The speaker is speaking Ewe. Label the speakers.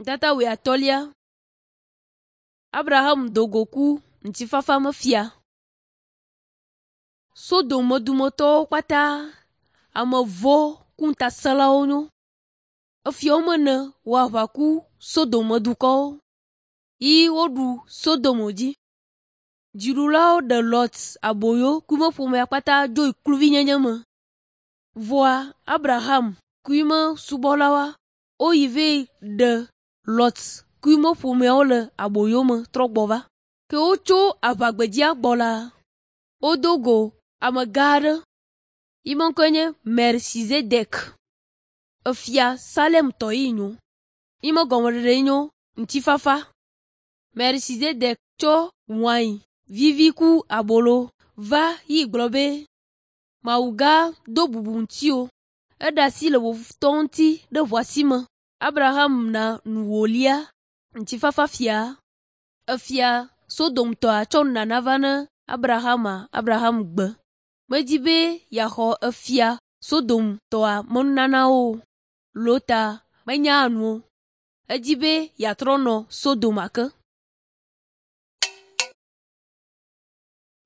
Speaker 1: Ŋutata wuiatɔ̃lia. Abraham do go ku ŋutifafa me fia. Sodom dumetɔwo kpata, ame vɔ̃ ku ŋutasẽlawo nyo. Efiawo mene wɔ aʋa ku Sodom dukɔwo yi woɖu Sodom dzi. Dziɖulawo ɖe Lot aboyo ku eƒe ƒomea kpata dzo yi kluvinyenye me. Vɔa Abraham ku eƒe subɔlawoa woyi vɛ ɖe Lot ku eƒe ƒomeawo le aboyo me trɔ gbɔ va. Ke wotso aʋagbedzia gbɔ la, wodo go amegã aɖe yi me ŋkɔe nye Melchizedek. Efia Salemtɔ yi nyo. Yi me gɔmeɖeɖe nyo ŋutifafa. Melchizedek tsɔ wain vivi ku abolo va yi gblɔ be, Mawu gã do bubu ŋutiwò. Eɖe asi le wò futɔwo ŋuti ɖe ʋua si me. Abraham na nu wòlia ŋutifafa fia. Efia Sodomtɔa tsɔ nunana va ne Abrahama Abraham gbe. Medi be yeaxɔ efia Sodomtɔa me nunanawo o. Lota menya nu o. Edi be yeatrɔ nɔ Sodom ake.